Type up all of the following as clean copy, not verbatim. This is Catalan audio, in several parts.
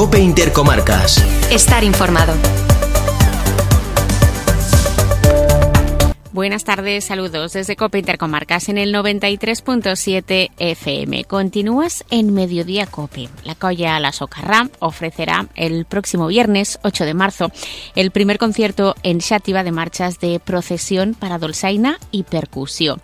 COPE Intercomarcas. Estar informado. Buenas tardes, saludos desde COPE Intercomarcas en el 93.7 FM. Continúas en Mediodía COPE. La Colla La Socarrá ofrecerá el próximo viernes 8 de marzo el primer concierto en Xàtiva de marchas de procesión para dolçaina y percusión.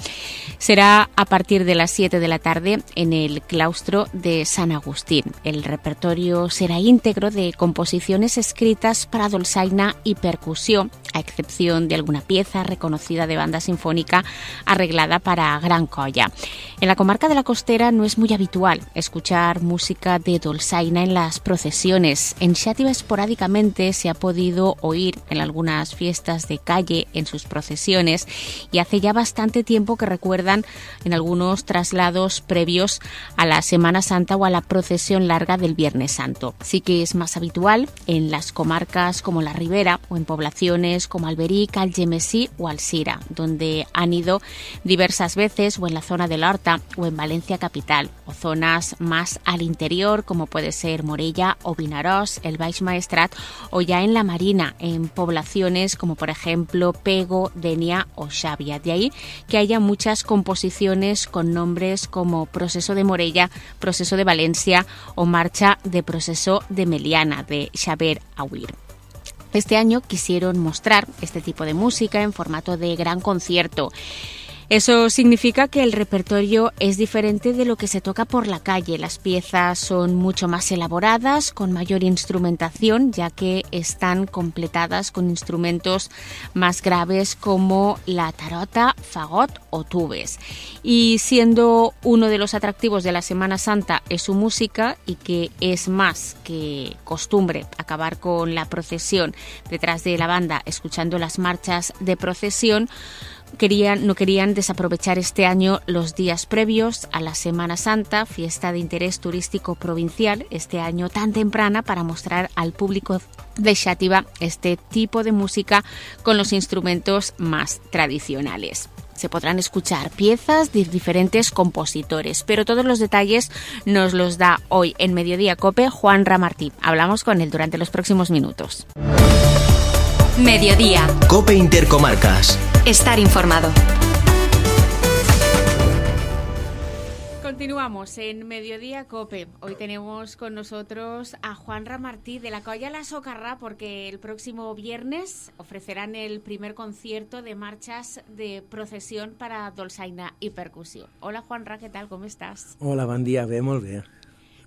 Será a partir de las 7 de la tarde en el claustro de San Agustín. El repertorio será íntegro de composiciones escritas para dolçaina y percusión, a excepción de alguna pieza reconocida de banda sinfónica arreglada para gran colla. En la comarca de la Costera no es muy habitual escuchar música de dolçaina en las procesiones. En Xàtiva esporádicamente se ha podido oír en algunas fiestas de calle en sus procesiones y hace ya bastante tiempo que recuerdan en algunos traslados previos a la Semana Santa o a la procesión larga del Viernes Santo. Sí que es más habitual en las comarcas como la Ribera o en poblaciones como Alberic, Algemesí o Alzira, donde han ido diversas veces, o en la zona de la Horta o en Valencia capital, o zonas más al interior como puede ser Morella o Vinaròs, el Baix Maestrat, o ya en la Marina, en poblaciones como por ejemplo Pego, Denia o Xàbia. De ahí que haya muchas composiciones con nombres como Proceso de Morella, Proceso de Valencia o Marcha de Proceso de Meliana, de Xavier Auir. Este año quisieron mostrar este tipo de música en formato de gran concierto. Eso significa que el repertorio es diferente de lo que se toca por la calle. Las piezas son mucho más elaboradas, con mayor instrumentación, ya que están completadas con instrumentos más graves como la tarota, fagot o tubes. Y siendo uno de los atractivos de la Semana Santa es su música, y que es más que costumbre acabar con la procesión detrás de la banda escuchando las marchas de procesión, no querían desaprovechar este año los días previos a la Semana Santa, fiesta de interés turístico provincial, este año tan temprana, para mostrar al público de Xàtiva este tipo de música con los instrumentos más tradicionales. Se podrán escuchar piezas de diferentes compositores, pero todos los detalles nos los da hoy en Mediodía COPE Juan Ramartí. Hablamos con él durante los próximos minutos. Mediodía. COPE Intercomarcas. Estar informado. Continuamos en Mediodía COPE. Hoy tenemos con nosotros a Juan Ramartí de la Colla La Socarrá, porque el próximo viernes ofrecerán el primer concierto de marchas de procesión para dolçaina i percussió. Hola Juanra, què tal? Com estàs? Hola, bon dia, bé, molt bé.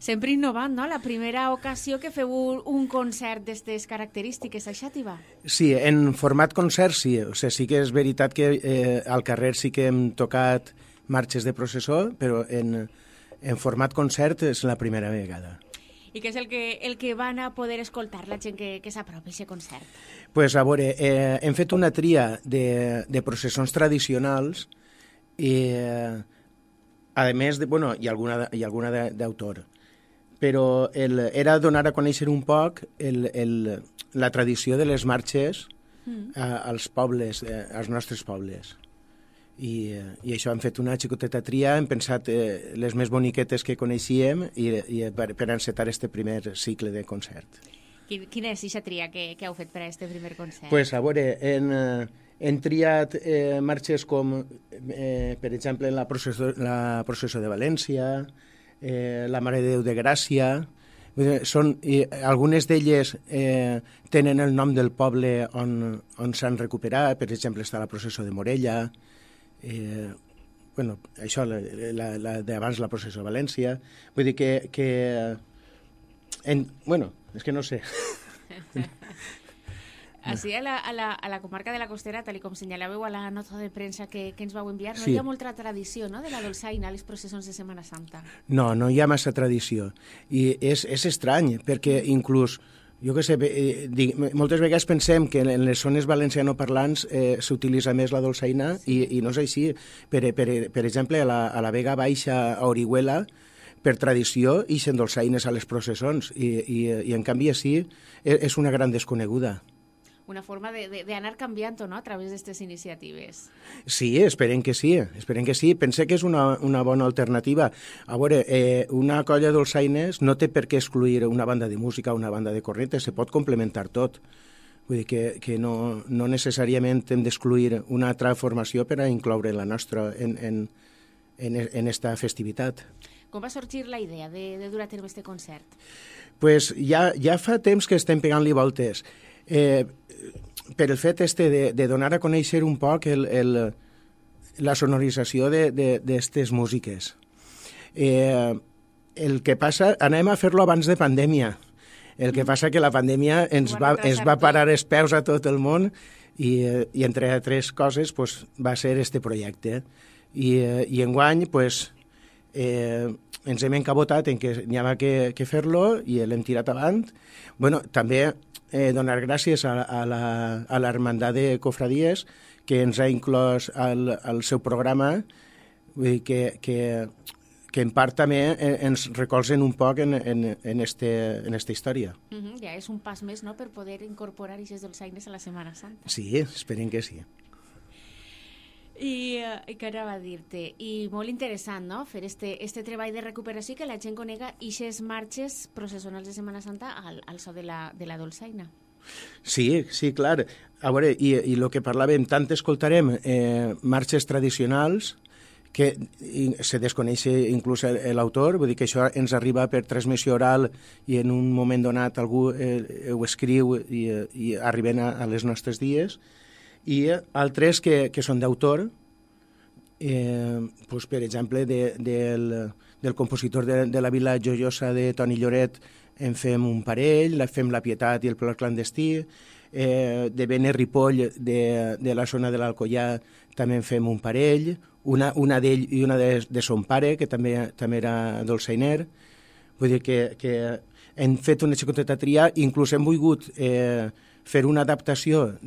Sempre innovant, no? La primera ocasió que feu un concert d'aquestes característiques a Xàtiva. Sí, en format concert sí. O sigui, sí que és veritat que al carrer sí que hem tocat marxes de processó, però en format concert és la primera vegada. I què és el que van a poder escoltar la gent que s'apropi a aquest concert? Pues, a veure, hem fet una tria de processons tradicionals i, a més, hi ha alguna d'autor. Però era donar a conèixer un poc la tradició de les marxes als pobles, als nostres pobles. I això, hem fet una xicoteta tria, hem pensat les més boniquetes que coneixíem i per encetar este primer cicle de concert. Quina és aquesta tria que heu fet per a este primer concert? Pues, a veure, hem triat marxes com, per exemple, la processó de València, la Mare de Déu de Gràcia. Algunes d'elles tenen el nom del poble on s'han recuperat. Per exemple, està la processó de Morella, això, d'abans la processó de València. Vull dir que és que no sé. Així, a la comarca de la Costera, tal com senyalàveu a la nota de premsa que ens vau enviar, no hi ha molta tradició, no?, de la dolçaina a les processons de Setmana Santa. No hi ha massa tradició. I és estrany, perquè inclús, jo què sé, moltes vegades pensem que en les zones valencianoparlants s'utilitza més la dolçaina i no és així. Per exemple, a la Vega Baixa, a Orihuela, per tradició, ixen dolçaines a les processons i en canvi així és una gran desconeguda. una forma d'anar canviant, no?, a través d'aquestes iniciatives. Sí, esperem que sí. Pense que és una bona alternativa. A veure, una colla dolçaines no té per què excluir una banda de música o una banda de cornetes, se pot complementar tot. Vull dir que no necessàriament hem d'excluir una altra formació per a incloure la nostra en esta festivitat. Com va sorgir la idea de dur a terme aquest concert? Pues ja fa temps que estem pegant-li voltes. Per el fet de donar a conèixer un poc la sonorització d'aquestes músiques. El que passa, anem a fer-lo abans de pandèmia. El que passa que la pandèmia ens va parar els peus a tot el món i entre altres coses pues, va ser este projecte. I enguany pues, ens hem encabotat en que n'hi havia que fer-lo i l'hem tirat avant. Bueno, també donar gràcies a l'Hermandat de Cofradies que ens ha inclòs al seu programa, vull dir que en part també ens recolzen un poc en esta història. Ja és un pas més, no?, per poder incorporar aquestes dolçaines a la Setmana Santa. Sí, esperem que sí. I què anava a dir-te? I molt interessant, no?, fer este treball de recuperació i que la gent conega aquestes marxes processionals de Setmana Santa al so de la dolçaina. Sí, clar. A veure, i el que parlàvem, tant escoltarem marxes tradicionals que se desconeix inclús l'autor, vull dir que això ens arriba per transmissió oral i en un moment donat algú ho escriu i arriben a les nostres dies, i altres que són d'autor, doncs, per exemple, del compositor de la Vila Joiosa de Toni Lloret en fem un parell, fem La Pietat i el plor clandestí, de Bene Ripoll, de la zona de l'Alcoià, també en fem un parell, una d'ell i una de son pare, que també era dolçainer. Vull dir que hem fet una xicoteta tria, inclús hem volgut fer una adaptació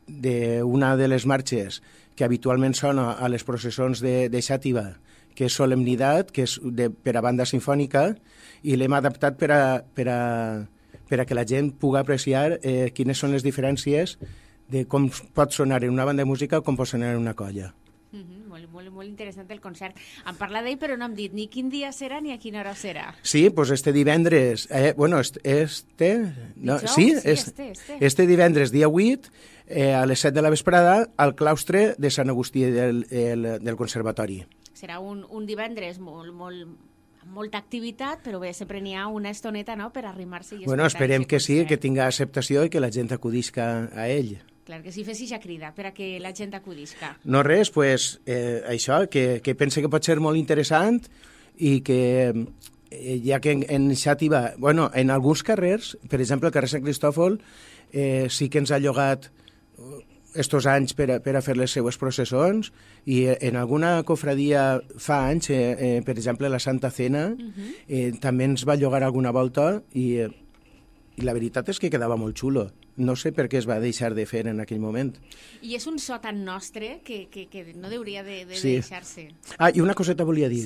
d'una de les marxes que habitualment sona a les processons de Xàtiva, que és Solemnitat, que és per a banda sinfònica, i l'hem adaptat per a que la gent pugui apreciar quines són les diferències de com pot sonar en una banda de música o com pot sonar en una colla. Molt interessant el concert. Em parla d'ell, però no hem dit ni quin dia serà ni a quina hora serà. Sí, doncs este divendres... Este divendres, dia 8, a les 7 de la vesprada, al claustre de Sant Agustí del Conservatori. Serà un divendres amb molta activitat, però bé, sempre n'hi ha una estoneta, no?, per arrimar-se i escoltar. Bueno, esperem que sí, que tinga acceptació i que la gent acudisca a ell. Clar, que si fessis ja crida per a que la gent acudisca. No res, pues, això, que pense que pot ser molt interessant i que ja que en Xàtiva, bueno, en alguns carrers, per exemple, el carrer Sant Cristòfol, sí que ens ha llogat estos anys per a fer les seues processons i en alguna cofradia fa anys, per exemple, la Santa Cena, també ens va llogar alguna volta i la veritat és que quedava molt xulo. No sé per què es va deixar de fer en aquell moment. I és un so tan nostre que no hauria de deixar-se. Ah, i una coseta volia dir,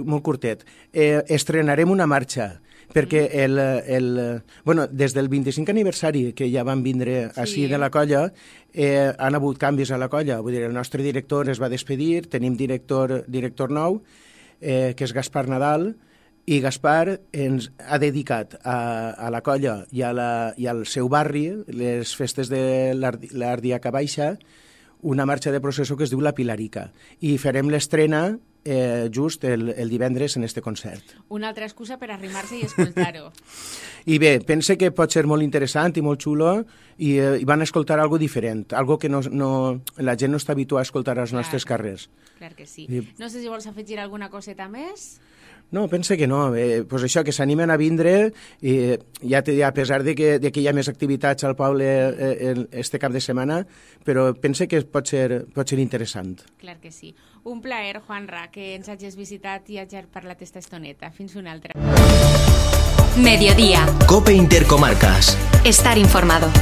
molt curtet. Estrenarem una marxa, perquè des del 25 aniversari que ja van vindre així de la colla, han hagut canvis a la colla. Vull dir, el nostre director es va despedir, tenim director nou, que és Gaspar Nadal, i Gaspar ens ha dedicat a la colla i al seu barri, les festes de l'Ardiaca Baixa, una marxa de processó que es diu La Pilarica. I farem l'estrena just el divendres en este concert. Una altra excusa per arrimar-se i escoltar-ho. I bé, pense que pot ser molt interessant i molt xulo i van escoltar algo diferent, algo que la gent no està habituada a escoltar als nostres carrers. Clar que sí. No sé si vols afegir alguna coseta més? No, pense que no. Pues això, que s'animen a vindre, i a pesar de que hi ha més activitats al poble este cap de setmana, però pense que pot ser interessant. Clar que sí. Un plaer, Juanra, que ens hagis visitat i hagis parlat esta estoneta. Fins una altra. Mediodía. COPE Intercomarcas. Estar informado.